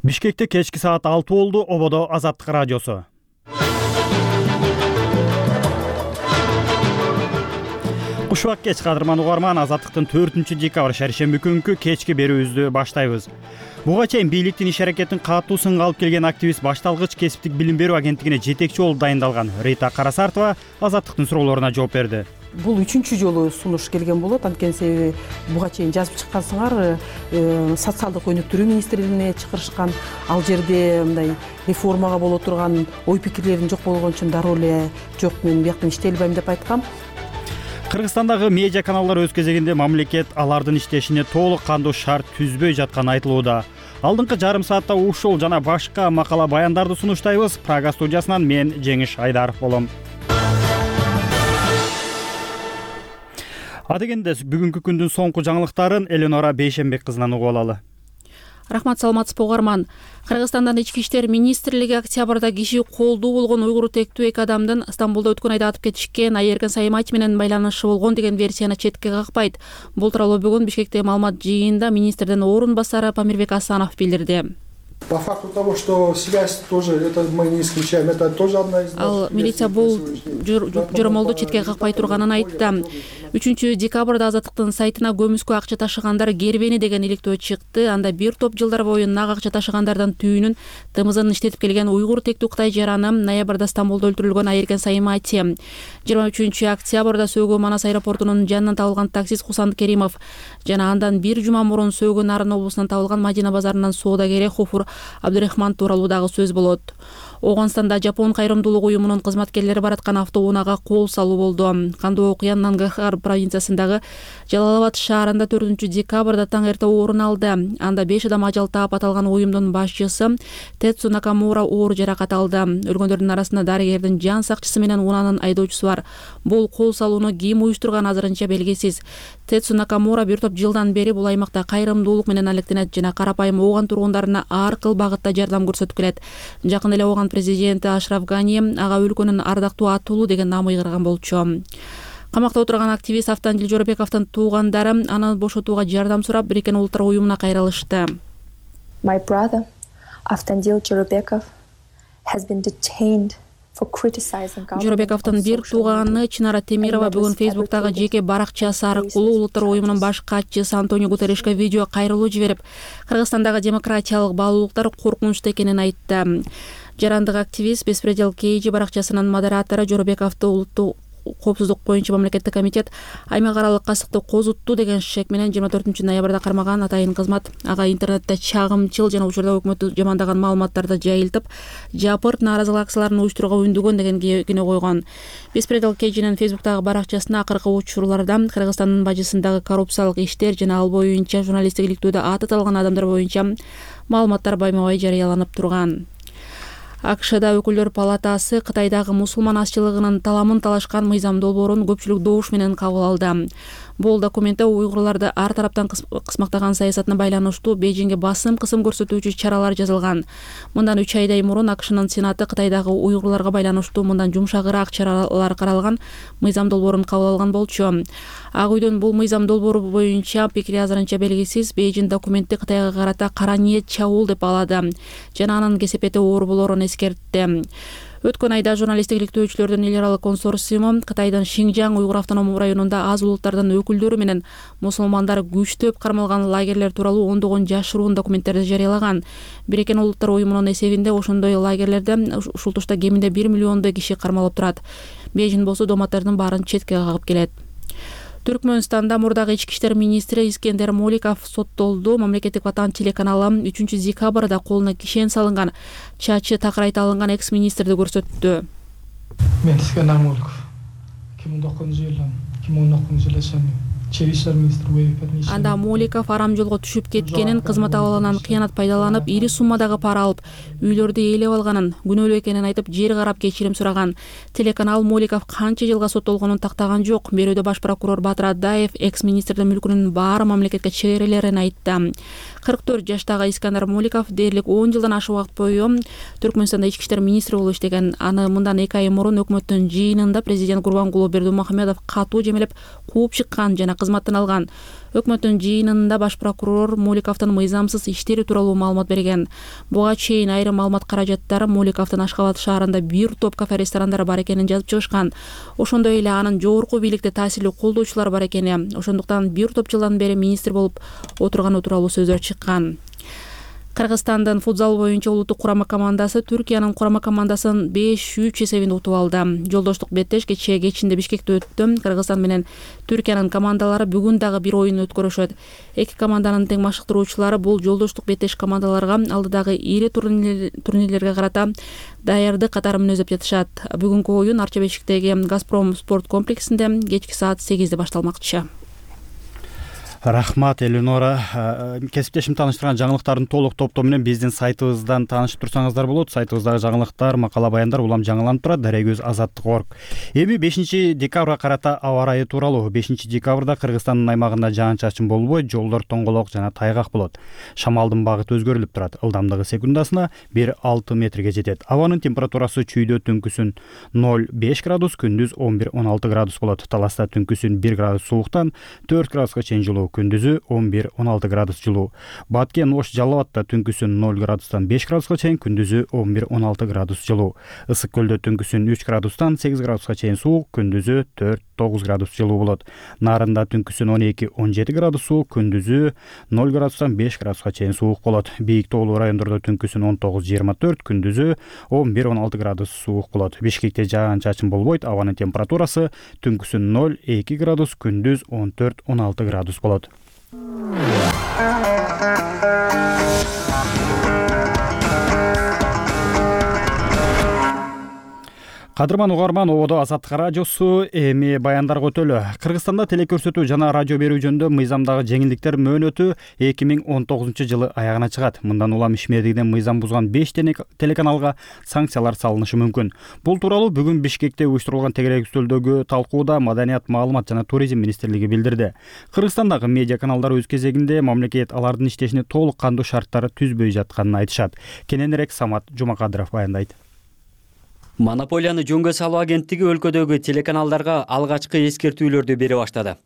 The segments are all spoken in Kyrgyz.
Бишкекте кечки саат 6 болду. Ободо Азаттык радиосу. Кушубак кеч кадырман угарман, Азаттыктын 4-декабрь шаршемби күнкү кечки берүүбүздү баштайбыз. Буга чейин бийликтин иш-аракетин катуу сынга алып келген активист башталгыч кесиптик билим берүү агенттигине жетекчи болуп дайындалган Рита Карасартова Азаттыктын суроолоруна жооп берди. Бул 3-чү жолу сунуш келген болот. Анткени себеби буга чейин жазып чыккансыңар, социалдык өнүктүрүү министрлигине чакырышкан. Ал жерде мындай реформага боло турган ой пикирлерин жок болгон үчүн дароо эле жок, мен бияктан иштей албайм деп айткам. Кыргызстандагы медиа каналдар өз кезегинде мамлекет алардын иштешине толук кандуу шарт түзбөй жатканы айтылууда. Алдыңкы жарым саатта ушул жана башка макала баяндарды сунуштайбыз. Прага студиясынан мен Жеңиш Айдаров болом. Адегенде бүгүнкү күндүн соңку жаңылыктарын Эленора Бейшенбек кызынан угуп алалы. Рахмат, саламатсызбы угарман. Кыргызстандын ички иштер министрлиги октябрда киши колдуу болгон уйгур тектүү эки адамдын Стамбулда өткөн айда атып кетишкен Айерген Саймати менен байланышы болгон деген версияны четке какпайт. Бул тууралуу бүгүн Бишкектеги маалымат жыйынында министрдин орун басары Памирбек Асанов билдирди. По факту того, что связь тоже, это мы не исключаем, это тоже одна из... Ал милиция бул жоромолду четке какпай турганын айтты. 3-декабрда Азаттыктын сайтына көмүскө акча ташыгандар кербени деген иликтөө чыкты. Анда бир топ жылдар бою нак акча ташыгандардын түйүнүн ТМЗнын иштетип келген уйгур тектүү Кытай жараны ноябрда Стамбулда өлтүрүлгөн Айерген Саймати, 23-октябрда Сөөгө Манас аэропортунун жанынан табылган таксист Хусанд Керимов жана андан бир жума мурун Сөөгө Нарын облусунан табылган Мадина базарынын соодагери Хуфур Абдурахман тууралуу дагы сөз болот. Оогунстанда Жапон кайрымдуулук уюмунун кызматкерлери бараткан автоунаага кол салуу болду. Кандуу окуя Нангахар провинциясындагы Жалалабад шаарында 4-декабрда таң эрте орун алды. Анда 5 адам ажал таап, аталган уюмдун башчысы Тецу Накамура оор жаракат алды. Өлгөндөрдүн арасында дарыгердин жан сакчысы менен унаанын айдоочусу бар. Бул кол салууну ким уюштурган азырынча белгисиз. Тецу Накамура бир топ жылдан бери бул аймакта кайрымдуулук менен алектенет жана карапайым ооган тургундарына ар кыл багытта жардам көрсөтүп келет. Жакын эле ооган президенти Ашраф Гани ага өлкөнүн ардактуу атуулу деген наам ыйгарган болчу. Камакта отурган активист Автандил Жоробековдун туугандары аны бошотууга жардам сурап, Бириккен Улуттар уюмуна кайрылышты. My brother Автандил Жоробеков has been detained. Жоробековдун бир тууганы Чынара Темирова бүгүн Фейсбуктагы жеке баракчасы аркылуу Улуттар уюмунун баш катчысы Антонио Гутерришке видео кайрылуу жиберип, Кыргызстандагы демократиялык баалуулуктар коркунучта экенин айтты. Жарандык активист Беспредел Кейджи баракчасынын модератору Жоробековду улуттук коопсуздук боюнча мамлекеттик комитет аймак аралык касыкты козутту деген шек менен 24-ноябрда кармаган. Атайын кызмат ага интернетте чагымчыл жана учурда өкмөттү жамандаган маалыматтарды жайылтып, жапырт нааразылык акцияларын уюштурууга үндөгөн деген күнөө койгон. Беспредел Кейджинин Фейсбуктагы баракчасына акыркы учурларда Кыргызстандын бажысындагы коррупциялык иштер жана ал боюнча журналисттик иликтөөдө аты аталган адамдар боюнча маалыматтар байма-бай жарыяланып турган. АКШда өкүлдөр палатасы Кытайдагы мусулман азчылыгынын таламын талашкан мыйзам долбоорун көпчүлүк добуш менен кабыл алды. Бул документте уйгурларды ар тараптан кысмактаган саясатына байланыштуу Бейжиңге басым кысым көрсөтүүчү чаралар жазылган. Мындан 3 айдай мурун АКШнын Сенаты Кытайдагы уйгурларга байланыштуу мындан жумшагыраак чаралар каралган мыйзам долбоорун кабыл алган болчу. Ак үйдөн бул мыйзам долбоору боюнча пикири азырынча белгисиз. Бейжиң документти Кытайга карата кара ниет чабуул деп баалады жана анын кесепети оор болоорун эскертти. Өткөн айда журналисттик иликтөөчүлөрдүн эл аралык консорциуму Кытайдын Шинжаң уйгур автономдук районунда аз улуттардын өкүлдөрү менен мусулмандар күчтөп кармалган лагерлер тууралуу ондогон жашыруун документтерди жарыялаган. Бириккен Улуттар уюмунун эсебинде ошондой лагерлерде ушул тушта кеминде 1 миллиондой киши кармалып турат. Бейжиң болсо доматтардын баарын четке кагып келет. Түркмөнстанда мурдагы ички иштер министри Искендер Моликов соттолду. Мамлекеттик Ватан телеканалы 3-декабрда колуна кишен салынган, чачы такырайта алынган экс-министрди көрсөттү. Мен Искендер Моликов 2009-жылы Чечен иштер министри Анда Моликов арам жолго түшүп кеткенин, кызмат абалынан кыянат пайдаланып, ири суммадагы пара алып, үйлөрдү ээлеп алганын, күнөөлүү экенин айтып, жер карап кечирим сураган. Телеканал Моликов канча жылга соттолгонун тактаган жок. Берүүдө баш прокурор Батыр Адаев экс-министрдин мүлкүнүн баары мамлекетке чегерилерин айтты. 44 жаштагы Искендер Моликов дээрлик 10 жылдан ашык убакыт бою Түркмөнстанда ички иштер министри болуп иштеген. Аны мындан 2 ай мурун өкмөттүн жыйынында президент Гурбангулы Бердимухамедов катуу жемелеп кууп чыккан жана кызматтан алган. Өкмөттүн жыйынында баш прокурор Муликовдун мыйзамсыз иштери тууралуу маалымат берген. Буга чейин айрым маалымат каражаттары Муликовдун Ашхабад шаарында бир топ кафе ресторандар бар экенин жазып чыгышкан. Ошондой эле анын жогорку бийликте таасирлүү колдоочулар бар экени, ошондуктан бир топ жылдан бери министр болуп отурганы тууралуу сөздөр чыккан. Кыргызстандын футзал боюнча улуттук курама командасы Түркиянын курама командасын 5-3 эсебинде утуп алды. Жолдоштук беттеш кечинде Бишкекте өттү. Кыргызстан менен Түркиянын командалары бүгүн дагы бир оюн өткөрүшөт. Эки команданын тең машыктыруучулары бул жолдоштук беттеш командаларга алдыдагы ири турнирлерге карата даярдык катары мүнөздөп жатышат. Бүгүнкү оюн Арча Бешиктеги Газпром спорт комплексинде кечки саат 8де башталмакчы. Рахмат, Элинора. Кесиптешим тааныштырган жаңылыктардын толук топтому менен биздин сайтыбыздан таанышып турсаңыздар болот. Сайтыбыздагы жаңылыктар, макала баяндар улам жаңыланып турат. Дарек көз Азаттык.орг. Эми 5 декабрга карата аба ырайы тууралуу. 5 декабрда Кыргызстандын аймагында жаан-чачын болбой, жолдор тоңголок жана тайгак болот. Шамалдын багыты өзгөрүлүп турат. Ылдамдыгы секундасына 1-6 метрге жетет. Абанын температурасы чүйдө түнкүсүн 0-5 градус, күндүз 11-16 градус болот. Таласта түнкүсүн 1 градус сууктан 4 градуска чейин жылуу, күндүзү 11-16 градус жылуу. Баткен Ош Жалал Абадта түнкүсүн 0 градустан 5 градуска чейин, күндүзү 11-16 градус жылуу. Ысык көлдө түнкүсүн 3 градустан 8 градуска чейин суук, күндүзү 4-9 градус жылуу болот. Нарында түнкүсүн 12-17 градус суук, күндүзү 0 градустан 5 градуска чейин суук болот. Бийик тоолуу райондордо түнкүсүн 19-24, күндүзү 11-16 градус суук болот. Бишкекте жаан-чачын болбойт. Абанын температурасы түнкүсүн 0-2 градус, күндүз 14-16 градус болот. Кадырман угарман, ободо Азаттык радиосу. Эми баяндарга өтөлү. Кыргызстанда телекөрсөтүү жана радио берүү жөнүндө мыйзамдагы жеңилдиктер мөөнөтү 2019 жылы аягына чыгат. Мындан улам ишмердигинен мыйзам бузган 5 телеканалга санкциялар салынышы мүмкүн. Бул тууралуу бүгүн Бишкекте уюштурулган тегерек үстөлдөгү талкууда Маданият, маалымат жана туризм министрлиги билдирди. Кыргызстандагы медиа каналдар өз кезегинде мамлекет алардын иштешине толук кандуу шарттары түзбөй жатканын айтышат. Кененирээк Самат Жумакадыров баяндайт. Монополияны жөнгө салуу агенттиги өлкөдөгү телеканалдарга алгачкы эскертүүлөрдү бере баштады.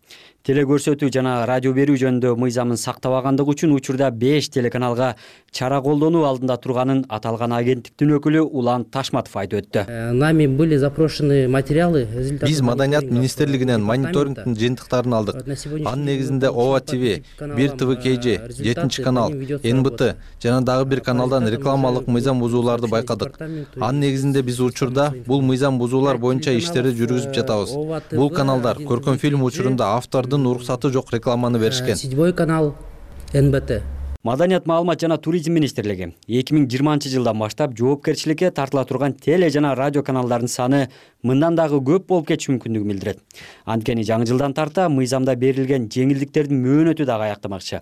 Телекөрсөтүү жана радио берүү жөнүндө мыйзамын сактабагандыгы үчүн учурда 5 телеканалга чара колдонуу алдында турганын аталган агенттиктин өкүлү Улан Ташматов айтып өттү. Нами были запрошены материалы. Биз Маданият министрлигинен мониторингдин жыйынтыктарын алдык. Анын негизинде ОВА ТВ, Бир ТВ КЖ, 7 канал, НБТ жана дагы бир каналдан рекламалык мыйзам бузууларды байкадык. Анын негизинде биз учурда бул мыйзам бузуулар боюнча иштерди жүргүзүп жатабыз. Бул каналдар көркөм фильм учурунда автордун уруксаты жок рекламаны беришкен. 7 канал, НБТ. Маданият, маалымат жана туризм министрлиги 2020 жылдан баштап жоопкерчиликке тартыла турган теле жана радио каналдардын саны мындан дагы көп болуп кетиши мүмкүндүгүн билдирет. Анткени жаңы жылдан тарта мыйзамда берилген жеңилдиктердин мөөнөтү дагы аяктамакчы.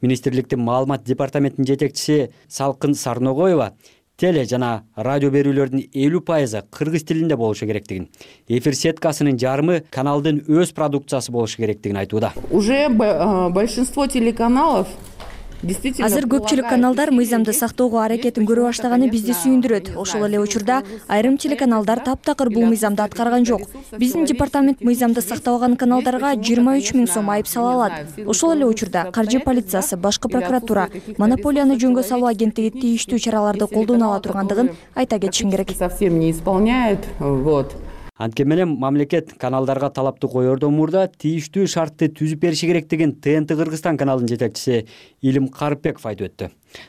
Министрликтин маалымат департаментинин жетекчиси Салкын Сарногоева теле жана радио берүүлөрдүн 50% кыргыз тилинде болушу керектигин, эфир сеткасынын жарымы каналдын өз продукциясы болушу керектигин айтууда. Уже большинство телеканалов Азыр көпчүлүк каналдар мыйзамды сактоого аракетин көрө баштаганы бизди сүйүндүрөт. Ошол эле учурда айрым телеканалдар таптакыр бул мыйзамды аткарган жок. Биздин департамент мыйзамды сактабаган каналдарга 23 000 сом айып сала алат. Ошол эле учурда каржы полициясы, башкы прокуратура, монополияны жөнгө салуу агенттиги тийиштүү чараларды колдоно ала тургандыгын айта кетишим керек. Совсем не исполняют. Анткени менен мамлекет каналдарга талапты коердон мурда тийиштүү шартты түзүп бериши керектигин ТНТ Кыргызстан каналынын жетекчиси Илим Карыпбеков айтып өттү.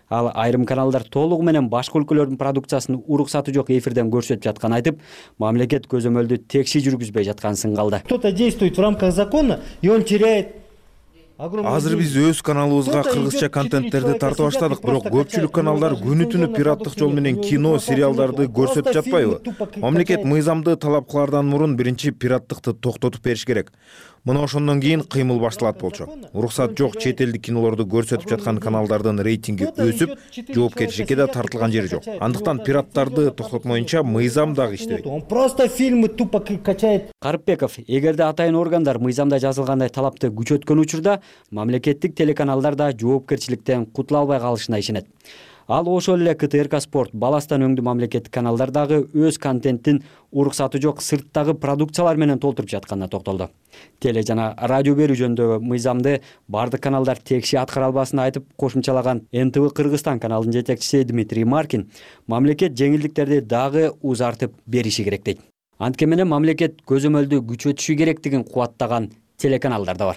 Ал айрым каналдар толугу менен башка өлкөлөрдүн продукциясын уруксаты жок эфирден көрсөтүп жатканын айтып, мамлекет көзөмөлдү текши жүргүзбөй жатканын сыңгалды. Кто-то действует в рамках закона, и он теряет. Азыр биз өз каналыбызга кыргызча контенттерди тарта баштадык, бирок көпчүлүк каналдар күнү-түнү пираттык жол менен кино, сериалдарды көрсөтүп жатпайбы? Мамлекет мыйзамды талап кылаардан мурун биринчи пираттыкты токтотуп бериш керек. Мына ошондон кийин кыймыл башталат болчу. Уруксат жок чет элдик кинолорду көрсөтүп жаткан каналдардын рейтинги өсүп, жоопкерчиликке да тартылган жери жок. Андыктан пираттарды токтотмоюнча мыйзам дагы иштебейт. Он просто фильмы тупо качает. Карыпбеков, эгерде атайын органдар мыйзамда жазылгандай талапты күчөткөн учурда мамлекеттик телеканалдар да жоопкерчиликтен кутула албай калышына ишенет. Ал ошол эле КТРК Спорт, Баластан өңдүү мамлекеттик каналдар дагы өз контенттин уруксаты жок сырттагы продукциялар менен толтуруп жатканына токтолду. Теле жана радио берүү жөнүндөгү мыйзамды бардык каналдар текши аткара албасын айтып кошумчалаган НТВ Кыргызстан каналынын жетекчиси Дмитрий Маркин мамлекет жеңилдиктерди дагы узартып бериши керек дейт. Анткени менен мамлекет көзөмөлдү күчөтүшү керектигин кубаттаган телеканалдар да бар.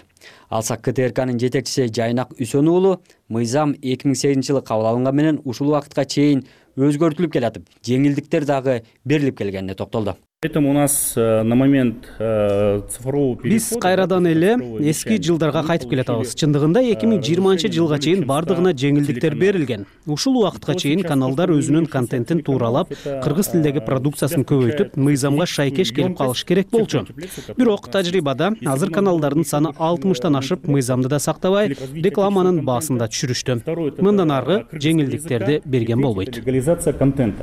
Алсак КТРКнын жетекчиси Жайнак Үсөнүү уулу мыйзам 2008-жылы кабыл алынган менен ушул убакытка чейин өзгөртүлүп келатып, жеңилдиктер дагы берилип келгенине токтолду. Поэтому у нас на момент цифрового перехода биз кайрадан эле эски жылдарга кайтып келатабыз. Чындыгында 2020-жылга чейин бардыгына жеңилдиктер берилген. Ушул убакытка чейин каналдар өзүнүн контентин тууралап, кыргыз тилдеги продукциясын көбөйтүп, мыйзамга шайкеш келип калыш керек болчу. Бирок тажрыйбада азыр каналдардын саны 60тан ашып, мыйзамды да сактабай, рекламанын баасын да түшүрүштү. Мындан аркы жеңилдиктерди берген болбойт.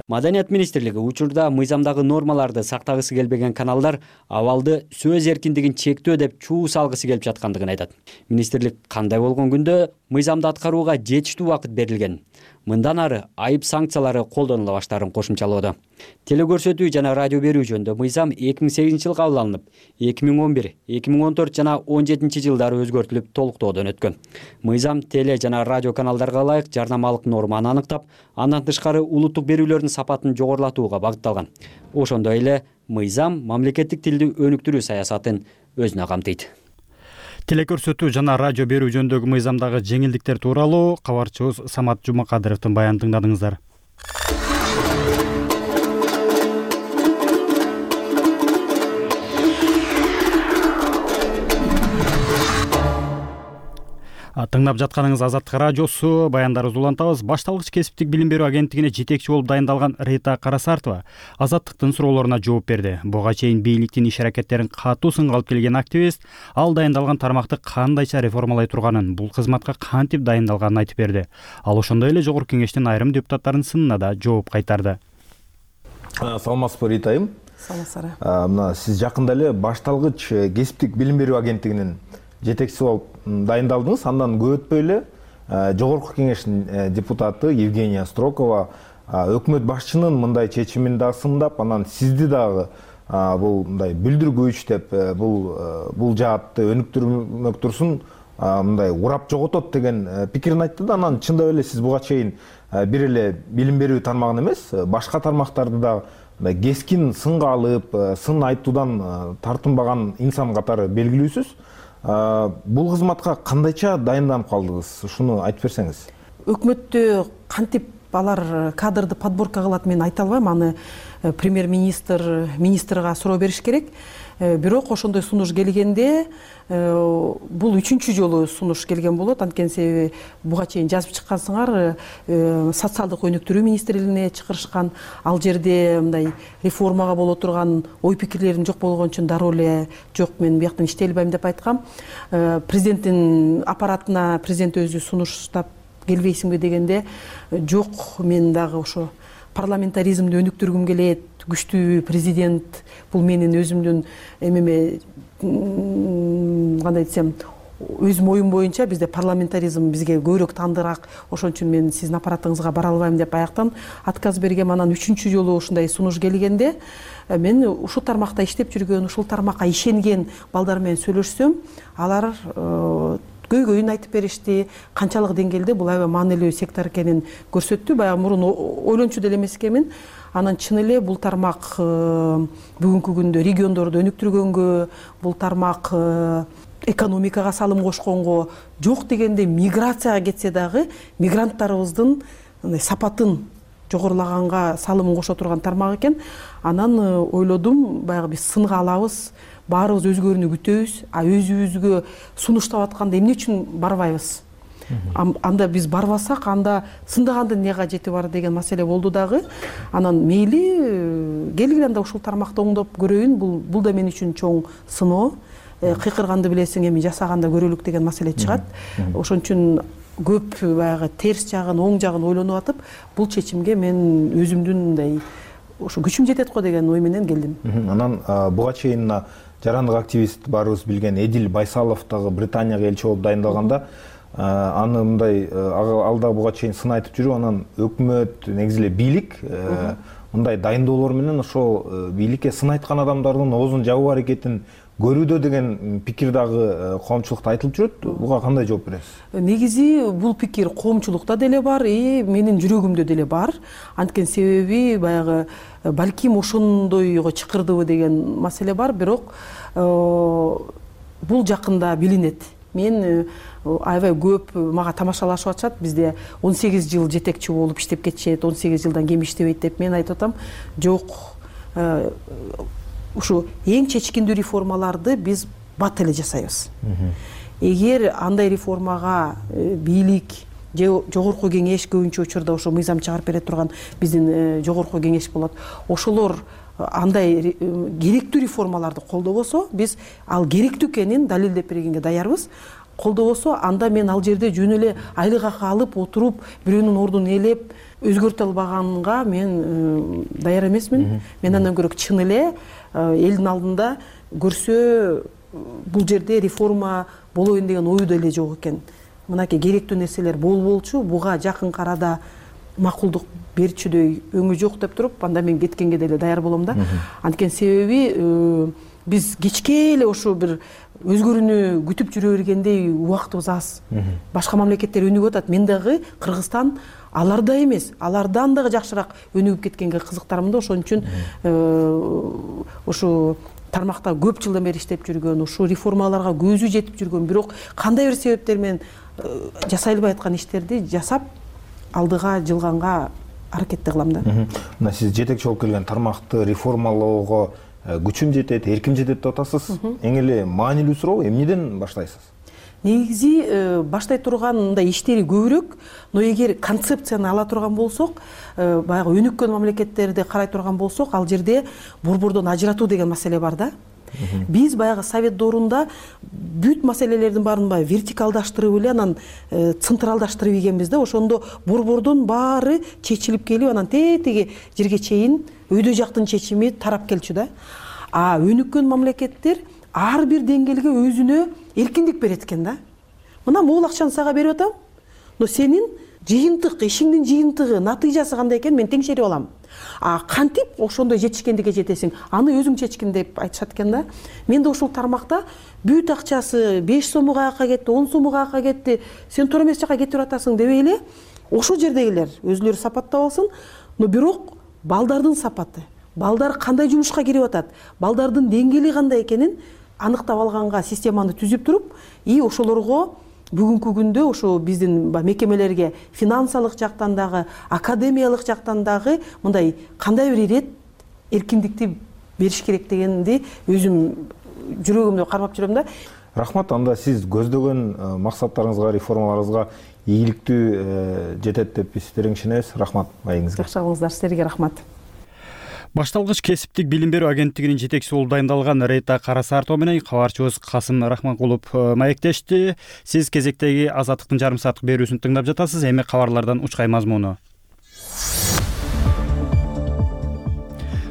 Маданият министрлиги учурда мыйзамдагы нормаларды сактагысы келбеген каналдар абалды сөз эркиндигин чектөө деп чуу салгысы келип жаткандыгын айтат. Министрлик кандай болгон күндө мыйзамды аткарууга жетиштүү убакыт берилген. Мындан ары айып санкциялары колдонула баштаарын кошумчалоодо. Телекөрсөтүү жана радио берүү жөнүндө мыйзам 2008-жылы кабыл алынып, 2011, 2014 жана 2017-жылдары өзгөртүлүп толуктоодон өткөн. Мыйзам теле жана радио каналдарга ылайык жарнамалык норманы аныктап, андан тышкары улуттук берүүлөрдүн сапатын жогорулатууга багытталган. Ошондой эле мыйзам мамлекеттик тилди өнүктүрүү саясатын өзүнө камтыйт. Телекөрсөтүү жана радио берүү жөнүндөгү мыйзамдагы жеңилдиктер тууралуу кабарчыбыз Самат Жумакадыровдун баянын тыңдадыңыздар. Тыңдап жатканыңыз Азаттык радиосу, баяндарыбызды улантабыз. Башталгыч кесиптик билим берүү агенттигине жетекчи болуп дайындалган Рита Карасартова Азаттыктын суроолоруна жооп берди. Буга чейин бийликтин иш-аракеттерин катуу сынга алып келген активист ал дайындалган тармакты кандайча реформалай турганын, бул кызматка кантип дайындалганын айтып берди. Ал ошондой эле Жогорку Кеңештин айрым депутаттарынын сынына да жооп кайтарды. Саламатсызбы Рита айым? Саламатсыздар. Мына сиз жакында эле башталгыч кесиптик билим берүү агенттигинин жетекчиси болуп дайындалдыңыз. Андан көп өтпөй эле Жогорку Кеңештин депутаты Евгения Строкова өкмөт башчынын мындай чечимин да сындап, анан сизди дагы бул мындай бүлдүргүч деп бул жаатты өнүктүрмөк турсун мындай урап жоготот деген пикирин айтты да. Анан чындап эле сиз буга чейин бир эле билим берүү тармагын эмес, башка тармактарды да кескин сынга алып, сын айтуудан тартынбаган инсан катары белгилүүсүз. Бул кызматка кандайча дайынданып калдыңыз? Ушуну айтып берсеңиз. Өкмөттө кантип алар кадрды подборка кылат мен айта албайм. Аны премьер-министрга суроо бериш керек. Бирок ошондой сунуш келгенде бул 3-чү жолу сунуш келген болот. Анткени себеби буга чейин жазып чыккансыңар, социалдык өнүктүрүү министрлигине чакырышкан, ал жерде мындай реформага боло турган ой пикирлерин жок болгон үчүн дароо эле жок, мен бияктан иштей албайм деп айткам. Президенттин аппаратына президент өзү сунуштап келбейсиңби дегенде, жок, мен дагы ошо парламентаризмди өнүктүргүм келет, күчтүү президент, бул менин өзүмдүн эмеме, кандай десем, өзүм оюм боюнча бизде парламентаризм бизге көбүрөөк тандыраак, ошон үчүн мен сиздин аппаратыңызга бара албайм деп аяктан отказ бергем. Анан 3-чү жолу ушундай сунуш келгенде мен ушул тармакта иштеп жүргөн, ушул тармакка ишенген балдар менен сүйлөшсөм, алар көйгөйүн айтып беришти, канчалык деңгээлде бул аябай маанилүү сектор экенин көрсөттү. Баягы мурун ойлончу деле эмес экенмин. Анан чын эле бул тармак бүгүнкү күндө региондорду өнүктүргөнгө, бул тармак экономикага салым кошконго, жок дегенде миграцияга кетсе дагы мигранттарыбыздын сапатын жогорулаганга салымын кошо турган тармак экен. Анан ойлодум, баягы биз сынга алабыз, баарыбыз өзгөрүүнү күтөбүз, өзүбүзгө сунуштап атканда эмне үчүн барбайбыз? Анда биз барбасак, анда сындагандын эмне кажети бар деген маселе болду дагы. Анан мейли келгиле анда ушул тармакты оңдоп көрөйүн, бул да мен үчүн чоң сыноо. Кыйкырганды билесиң, эми жасаганда көрөлүк деген маселе чыгат. Ошон үчүн көп баягы терс жагын, оң жагын ойлонуп атып, бул чечимге мен өзүмдүн мындай ошо күчүм жетет го деген ой менен келдим. Анан буга чейин жарандык активист баарыбыз билген Эдил Байсалов дагы Британияга элчи болуп дайындалганда, аны мындай алда буга чейин сын айтып жүрүп, анан өкмөт, негизи эле бийлик мындай дайындоолор менен ошол бийликке сын айткан адамдардын оозун жабуу аракетин көрүүдө деген пикир дагы коомчулукта айтылып жүрөт. Буга кандай жооп бересиз? Негизи бул пикир коомчулукта деле бар, менин жүрөгүмдө деле бар. Анткени себеби баягы балким ошондойго чакырдыбы деген маселе бар, бирок бул жакында билинет. Мен аябай көп мага тамашалашып атышат. Бизде 18 жыл жетекчи болуп иштеп кетишет, 18 жылдан кем иштебейт деп мен айтып атам. Жок, ушу эң чечкиндүү реформаларды биз бат эле жасайбыз. Эгер андай реформага бийлик же жогорку кеңеш, көбүнчө учурда ошо мыйзам чыгарып бере турган биздин жогорку кеңеш болот, ошолор андай керектүү реформаларды колдобосо, биз ал керектүү экенин далилдеп бергенге даярбыз. Колдобосо, анда мен ал жерде жөн эле айлык акы алып отуруп, бирөөнүн ордун ээлеп өзгөртө албаганга мен даяр эмесмин. Мен андан көрө чын эле элдин алдында көрсө бул жерде реформа болоюн деген ою деле жок экен. Мынакей керектүү нерселер болчу, буга жакын арада макулдук берчүдөй өңү жок деп туруп, анда мен кеткенге деле даяр болом да. Анткени себеби биз кечке эле ошо бир өзгөрүүнү күтүп жүрө бергендей убактыбыз аз. Башка мамлекеттер өнүгүп атат. Мен дагы Кыргызстан алардай эмес, алардан дагы жакшыраак өнүгүп кеткенге кызыктармын да. Ошон үчүн ошо тармакта көп жылдан бери иштеп жүргөн, ушул реформаларга көзү жетип жүргөн, бирок кандай бир себептер менен жасай албай аткан иштерди жасап алдыга жылганга аракетти кылам да. Мына сиз жетекчи болуп келген тармакты реформалоого күчүм жетет, эрким жетет деп атасыз. Эң эле маанилүү суроо эмнеден баштайсыз? Негизи баштай турган мындай иштери көбүрөөк, но эгер концепцияны ала турган болсок, баягы өнүккөн мамлекеттерди карай турган болсок, ал жерде борбордон ажыратуу деген маселе бар да. Биз баягы совет доорунда бүт маселелердин баарын вертикалдаштырып эле, анан централдаштырып ийгенбиз да. Ошондо борбордон баары чечилип келип, анан тетиги жерге чейин өйдө жактын чечими тарап келчү да. А өнүккөн мамлекеттер ар бир деңгээлге өзүнө эркиндик берет экен да. Мына могул акчаны сага берип атам, но сенин жыйынтык, ишиңдин жыйынтыгы, натыйжасы кандай экен мен теңшерип алам. А кантип ошондой жетишкендикке жетесиң, аны өзүң чечкин деп айтышат экен да. Мен да ушул тармакта бүт акчасы 5 сому каяка кетти, 10 сому каяка кетти, сен туура эмес жака кетип атасың дебей эле, ошол жердегилер өзүлөрү сапаттап алсын, но бирок балдардын сапаты, балдар кандай жумушка кирип атат, балдардын деңгээли кандай экенин аныктап алганга системаны түзүп туруп, ошолорго бүгүнкү күндө ошо биздин мекемелерге финансылык жактан дагы, академиялык жактан дагы мындай кандай бир ирет эркиндикти бериш керек дегенди өзүм жүрөгүмдө кармап жүрөм да. Рахмат, анда сиз көздөгөн максаттарыңызга, реформаларыңызга ийгиликтүү жетет деп биз терең ишенебиз. Рахмат маегиңизге. Жакшы болуңуздар, силерге рахмат. Башталгыч кесиптик билим берүү агенттигинин жетекчиси болуп дайындалган Рита Карасартова менен кабарчыбыз Касым Рахманкулов маектешти. Сиз кезектеги Азаттыктын жарым сааттык берүүсүн тыңдап жатасыз. Эми кабарлардан учкай мазмуну.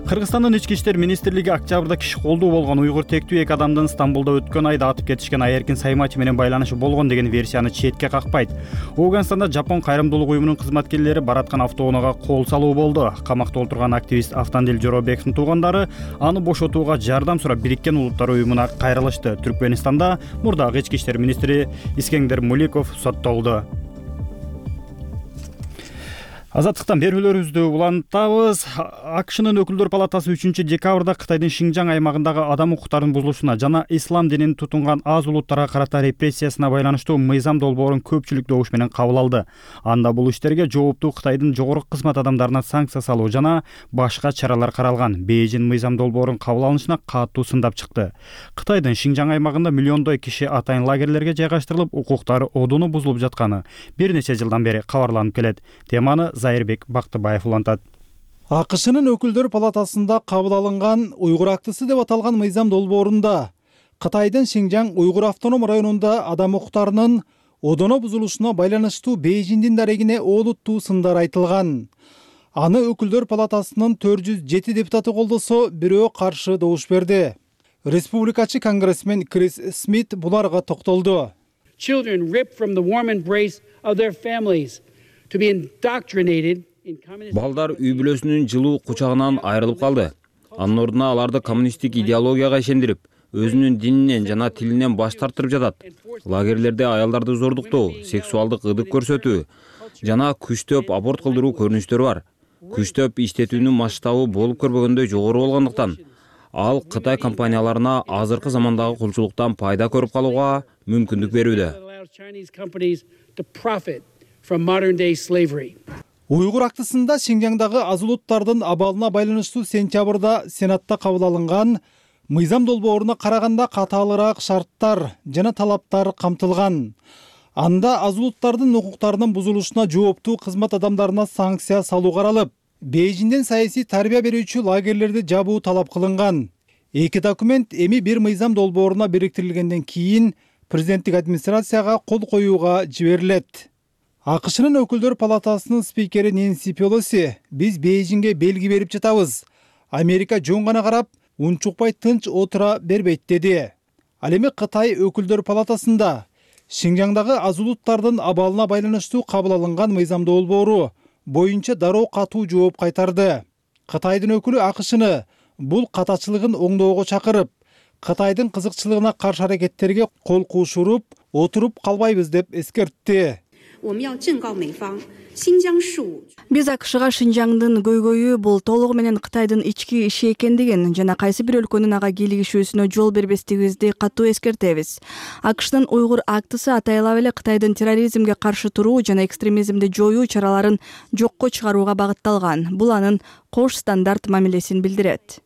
Кыргызстандын ички иштер министрлиги октябрда киши колдуу болгон уйгур тектүү эки адамдын Стамбулда өткөн айда атып кетишкен Айеркин Саймачи менен байланышы болгон деген версияны четке какпайт. Ооганстанда Жапон кайрымдуулук уюмунун кызматкерлери бараткан автоунаага кол салуу болду. Камакта отурган активист Автандил Жоробековдун туугандары аны бошотууга жардам сурап Бириккен Улуттар уюмуна кайрылышты. Түркмөнстанда мурдагы ички иштер министри Искендер Муликов соттолду. Азаттыктан берүүлөрүбүздү улантабыз. АКШнын өкүлдөр палатасы 3-декабрда Кытайдын Шинжаң аймагындагы адам укуктарынын бузулушуна жана ислам динин тутунган аз улуттарга карата репрессиясына байланыштуу мыйзам долбоорун көпчүлүк добуш менен кабыл алды. Анда бул иштерге жооптуу Кытайдын жогорку кызмат адамдарына санкция салуу жана башка чаралар каралган. Бейжин мыйзам долбоорун кабыл алынышына катуу сындап чыкты. Кытайдын Шинжаң аймагында миллиондой киши атайын лагерлерге жайгаштырылып, укуктары одуну бузулуп жатканы бир нече жылдан бери кабарланып келет. Теманы Зайырбек Бактыбаев улантат. АКШнын өкүлдөр палатасында кабыл алынган уйгур актысы деп аталган мыйзам долбоорунда Кытайдын Шинжаң уйгур автоном районунда адам укуктарынын одоно бузулушуна байланыштуу Бейжиндин дарегине олуттуу сындар айтылган. Аны өкүлдөр палатасынын 407 депутаты колдосо, бирөө каршы добуш берди. Республикачы конгрессмен Крис Смит буларга токтолду. children ripped from the warm embrace of their families to be indoctrinated. Балдар үй бүлөсүнүн жылуу кучагынан айрылып калды. Анын ордуна аларды коммунисттик идеологияга ишендирип, өзүнүн дининен жана тилинен баш тартырып жатат. Лагерлерде аялдарды зордуктоо, сексуалдык ыдык көрсөтүү жана күчтөп аборт кылдыруу көрүнүштөрү бар. Күчтөп иштетүүнүн масштабы болуп көрбөгөндөй жогору болгондуктан ал Кытай компанияларына азыркы замандагы кулчулуктан пайда көрүп калууга мүмкүндүк берүүдө. Уйгур актысында Шинжаңдагы аз улуттардын абалына байланыштуу сентябрда Сенатта кабыл алынган мыйзам долбооруна караганда катаалыраак шарттар жана талаптар камтылган. Анда аз улуттардын укуктарынын бузулушуна жооптуу кызмат адамдарына санкция салуу каралып, Бейжиңден саясий тарбия берүүчү лагерлерди жабуу талап кылынган. Эки документ эми бир мыйзам долбооруна бириктирилгенден кийин президенттик администрацияга кол коюуга жиберилет. АКШнын өкүлдөр палатасынын спикери Нэнси Пелоси: "Биз Бейжиңге белги берип жатабыз. Америка жөн гана карап, унчукпай тынч отура бербейт" деди. Ал эми Кытай өкүлдөр палатасында Шинжаңдагы аз улуттардын абалына байланыштуу кабыл алынган мыйзам долбоору боюнча дароо катуу жооп кайтарды. Кытайдын өкүлү АКШны бул катачылыгын оңдоого чакырып, Кытайдын кызыкчылыгына каршы аракеттерге кол куушуруп отуруп калбайбыз деп эскертти. Биз АКШга Шинжаңдын көйгөйү бул толугу менен Кытайдын ички иши экендигин жана кайсы бир өлкөнүн ага кийлигишүүсүнө жол бербестигибизди катуу эскертебиз. АКШнын Уйгур актысы атайлап эле Кытайдын терроризмге каршы туруу жана экстремизмди жоюу чараларын жокко чыгарууга багытталган. Бул анын кош стандарт мамилесин билдирет.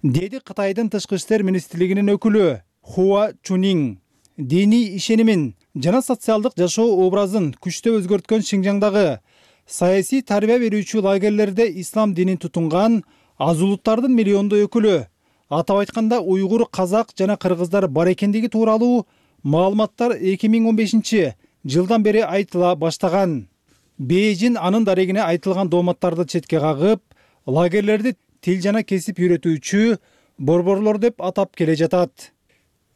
Деди Кытайдын тышкы иштер министрлигинин өкүлү Хуа Чунинг. Диний ишенимин жана социалдык жашоо образын күчтөп өзгөрткөн Шинжаңдагы саясий тарбия берүүчү лагерлерде ислам динин тутунган аз улуттардын миллиондой өкүлү, атап айтканда уйгур, казак жана кыргыздар бар экендиги тууралуу маалыматтар 2015-жылдан бери айтыла баштаган. Бейжиң анын дарегине айтылган дооматтарды четке кагып, лагерлерди тил жана кесип үйрөтүүчү борборлор деп атап келе жатат.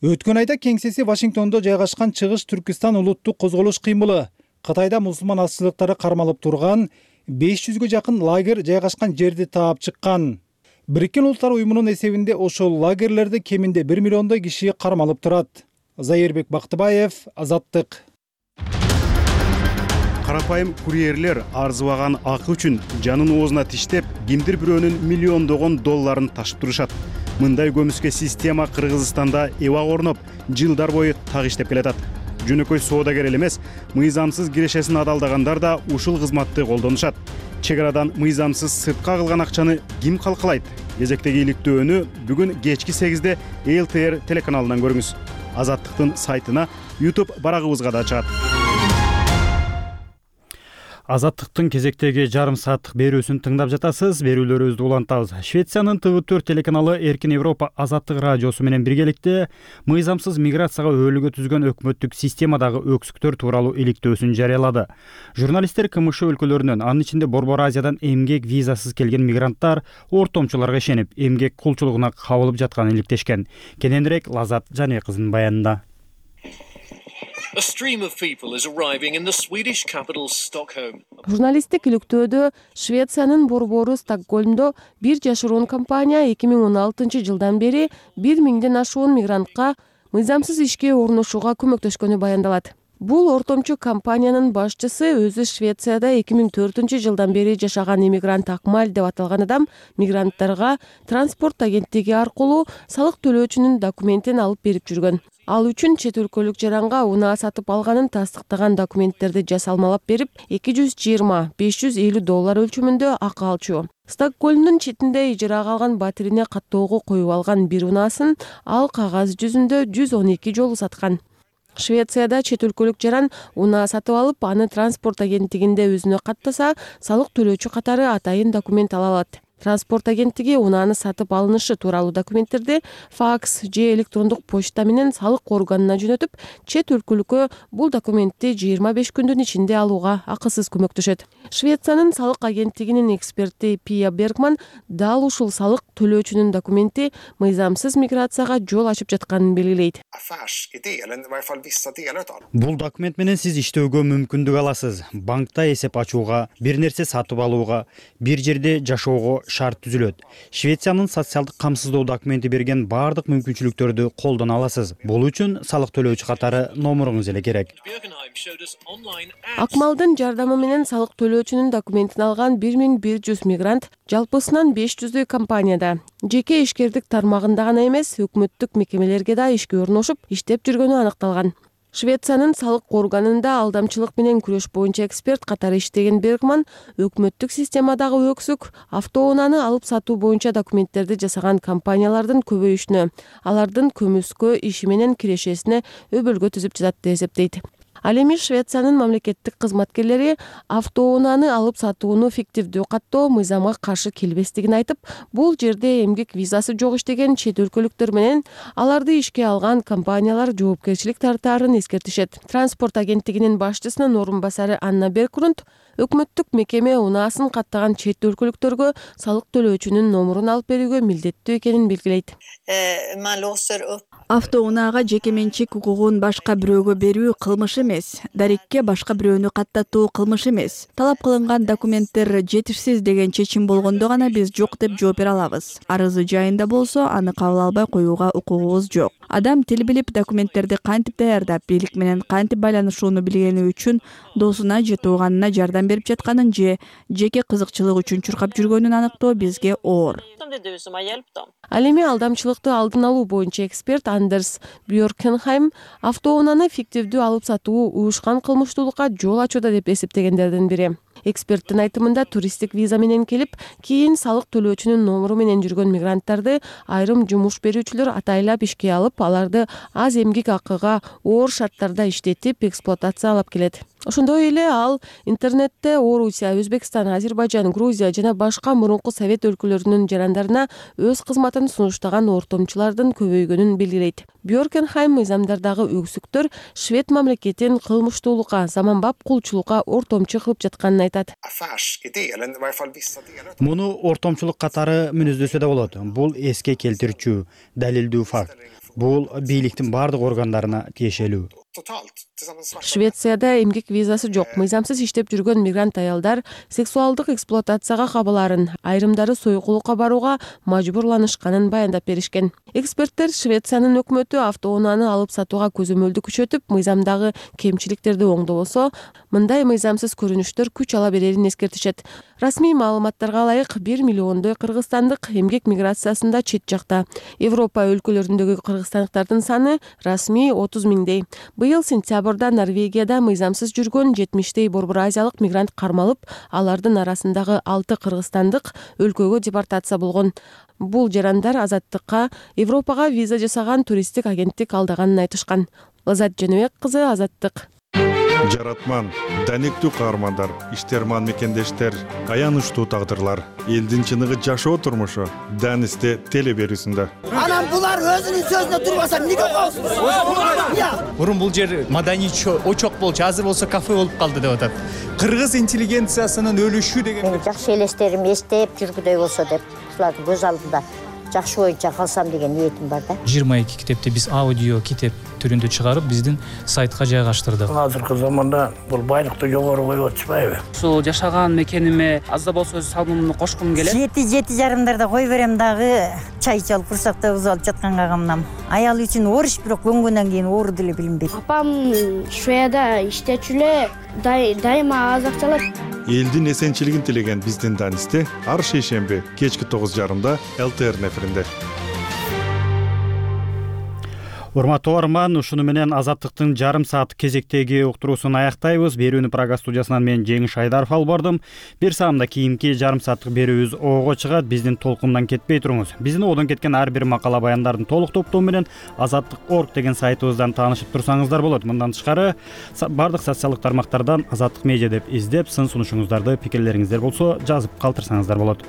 Өткөн айда кеңсеси Вашингтондо жайгашкан Чыгыш Түркистан улуттук козголуш кыймылы Кытайда мусулман азчылыктары кармалып турган 500гө жакын лагер жайгашкан жерди таап чыккан. Бириккен Улуттар уюмунун эсебинде ошол лагерлерде кеминде 1 миллиондой киши кармалып турат. Зайырбек Бактыбаев, Азаттык. Карапайым курьерлер арзыбаган акы үчүн жанын оозуна тиштеп, кимдир бирөөнүн миллиондогон долларын ташып турушат. Мындай көмүскө система Кыргызстанда эбак орноп, жылдар бою так иштеп келатат. Жөнөкөй соодагер эле эмес, мыйзамсыз кирешесин адалдагандар да ушул кызматты колдонушат. Чек арадан мыйзамсыз сыртка кылган акчаны ким калкалайт? Кезектеги иликтөөнү бүгүн кечки 8-де ЛТР телеканалынан көрүңүз. Азаттыктын сайтына, YouTube барагыбызга да чыгат. Азаттыктын кезектеги жарым сааттык берүүсүн тыңдап жатасыз. Берүүлөрүбүздү улантабыз. Швециянын TV4 телеканалы Эркин Европа Азаттык радиосу менен биргеликте мыйзамсыз миграцияга өөлүгө түзгөн өкмөттүк системадагы өксүктөр тууралуу иликтөөсүн жарыялады. Журналисттер КМШ өлкөлөрүнөн, анын ичинде Борбор Азиядан эмгек визасыз келген мигранттар ортомчуларга ишенип, эмгек кулчулугуна кабылып жатканын иликтешкен. Кененирээк Лазат Жане кызынын баянында. A stream of people is arriving in the Swedish capital Stockholm. Журналисттик иликтөөдө Швециянын борбору Стокгольмдо бир жашыруун компания 2016-жылдан бери 1000ден ашуун мигрантка мыйзамсыз ишке орношууга көмөктөшкөнү баяндалат. Бул ортомчу компаниянын башчысы өзү Швецияда 2004-жылдан бери жашаган иммигрант Акмаль деп аталган адам мигранттарга транспорт агенттиги аркылуу салык төлөөчүнүн документин алып берип жүргөн. Ал үчүн чет өлкөлүк жаранга унаа сатып алганын тастыктаган документтерди жасалмалап берип, $220-550 өлчөмүндө акы алчу. Стокгольмдун четинде ижарага алган батирине каттоого коюп алган бир унаасын ал кагаз жүзүндө 112 жолу саткан. Швецияда чет өлкөлүк жаран унаа сатып алып, аны транспорт агенттигинде өзүнө каттаса, салык төлөөчү катары атайын документ ала алат. транспорт агенттиги унааны сатып алынышы тууралуу документтерди факс же электрондук почта менен салык органына жөнөтүп, чет өлкөлүккө бул документти 25 күндүн ичинде алууга акысыз көмөктөшөт. Швециянын салык агенттигинин эксперти Пия Бергман дал ушул салык төлөөчүнүн документи мыйзамсыз миграцияга жол ачып жатканын белгилейт. Бул документ менен сиз иштөөгө мүмкүндүк аласыз. Банкта эсеп ачууга, бир нерсе сатып алууга, бир жерде жашоого шарт түзүлөт. Швециянын социалдык камсыздоо документи берген баардык мүмкүнчүлүктөрдү колдоно аласыз. Бул үчүн салык төлөөчү катары номуруңуз эле керек. Акмалдын жардамы менен салык төлөөчүнүн документин алган 1100 мигрант жалпысынан 500 компанияда, жеке ишкердик тармагында гана эмес, өкмөттүк мекемелерге да ишке орношуп, иштеп жүргөнү аныкталган. Швециянын салык органында алдамчылык менен күрөш боюнча эксперт катары иштеген Бергман өкмөттүк системадагы өксүк автоунааны алып сатуу боюнча документтерди жасаган компаниялардын көбөйүшүнө, алардын көмүскө иши менен кирешесине өбөлгө түзүп жатат деп эсептейт. Ал эми Швециянын мамлекеттик кызматкерлери автоунааны алып сатууну фиктивдүү каттоо мыйзамга каршы келбестигин айтып, бул жерде эмгек визасы жок иштеген чет өлкөлүктөр менен аларды ишке алган компаниялар жоопкерчилик тартаарын эскертишет. Транспорт агенттигинин башчысынын орун басары Анна Беркрунд өкмөттүк мекеме унаасын каттаган чет өлкөлүктөргө салык төлөөчүнүн номурун алып берүүгө милдеттүү экенин белгилейт. Автоунаага жеке менчик укугун башка бирөөгө берүү кылмыш эмес. Дарекке башка бирөөнү каттатуу кылмыш эмес. Талап кылынган документтер жетишсиз деген чечим болгондо гана биз жок деп жооп бере алабыз. Арызы жайында болсо, аны кабыл албай коюуга укугубуз жок. Адам тил билип, документтерди кантип даярдап, бийлик менен кантип байланышууну билгени үчүн досуна же тууганына жардам берип жатканын же жеке кызыкчылык үчүн чуркап жүргөнүн аныктоо бизге оор. Ал эми алдамчылыкты алдын алуу боюнча эксперт Андерс Бьоркенхайм автоунааны фиктивдүү алып сатуу уюшкан кылмыштуулукка жол ачууда деп эсептегендердин бири. Эксперттин айтымында туристтик виза менен келип, кийин салык төлөөчүнүн номуру менен жүргөн мигранттарды айрым жумуш берүүчүлөр атайлап ишке алып, аларды аз эмгек акыга оор шарттарда иштетип, эксплуатациялап келет. Ошондой эле ал интернетте Орусия, Өзбекстан, Азербайжан, Грузия жана башка мурунку совет өлкөлөрүнүн жарандарына өз кызматын сунуштаган ортомчулардын көбөйгөнүн белгилейт. Бьоркенхайм мыйзамдардагы өксүктөр швед мамлекетин кылмыштуулукка, заманбап кулчулукка ортомчу кылып жатканын айтат. Муну ортомчулук катары мүнөздөсө да болот. Бул эске келтирүүчү, далилдүү факт. Бул бийликтин бардык органдарына тиешелүү. Швецияда эмгек визасы жок, мыйзамсыз иштеп жүргөн мигрант аялдар сексуалдык эксплуатацияга кабыларын, айрымдары сойкулукка барууга мажбурланышканын баяндап беришкен. Эксперттер Швециянын өкмөтү автоунааны алып сатууга көзөмөлдү күчөтүп, мыйзамдагы кемчиликтерди оңдобосо, мындай мыйзамсыз көрүнүштөр күч ала берерин эскертишет. Расмий маалыматтарга ылайык 1 миллиондой кыргызстандык эмгек миграциясында чет жакта. Европа өлкөлөрүндөгү кыргызстандыктардын саны расмий 30 миңдей. Быйыл сентябрда Норвегияда мыйзамсыз жүргөн 70 борбор азиялык мигрант кармалып, алардын арасындагы 6 кыргызстандык өлкөгө депортация болгон. Бул жарандар Азаттыкка Европага виза жасаган туристтик агенттик алдаганын айтышкан. Лазат Женебек кызы, Азаттык. Жаратман, даниктүү каармандар, иштерман мекендештер, аянычтуу тагдырлар, элдин чыныгы жашоо турмушу Данисте теле берүүсүндө. Анан булар өзүнүн сөзүнө турбаса эмнеге коесуңар? Мурун бул жер маданий очок болчу, азыр болсо кафе болуп калды деп атат. Кыргыз интеллигенциясынын өлүшү деген. Мен жакшы элестерим эстеп жүргүдөй болсо деп, ушулардын көз алдында жакшы боюнча калсам деген ниетим бар да. 22 китепти биз аудио китеп түрүндө чыгарып, биздин сайтка жайгаштырдык. Азыркы заманда бул байлыкты жогору коюп атышпайбы? Ушул жашаган мекениме аз да болсо өз салымымды кошкум келет. 7:30 кой берем дагы, чай ичип алып, курсакта уз алып жатканга камнам. Аял үчүн оор иш, бирок көнгөндөн кийин оор деле билинбейт. Апам Шведияда иштечү эле, дайыма аз акча алат. Элдин эсенчилигин тилеген биздин Данисте ар шейшемби кечки 9:30 ЛТР эфиринде. Урматтуу угарман, ушуну менен Азаттыктын жарым саат кезектеги уктуруусун аяктайбыз. Берүүнү Прага студиясынан мен Жеңиш Айдаров алып бардым. Бир саамда кийинки жарым сааттык берүүбүз ого чыгат. Биздин толкундан кетпей туруңуз. Биздин одон кеткен ар бир макала баяндардын толук топтоо менен Азаттык.org деген сайтыбыздан таанышып турсаңыздар болот. Мындан тышкары бардык социалдык тармактардан Азаттык медиа деп издеп, сын сунушуңуздарды, пикирлериңиздер болсо жазып калтырсаңыздар болот.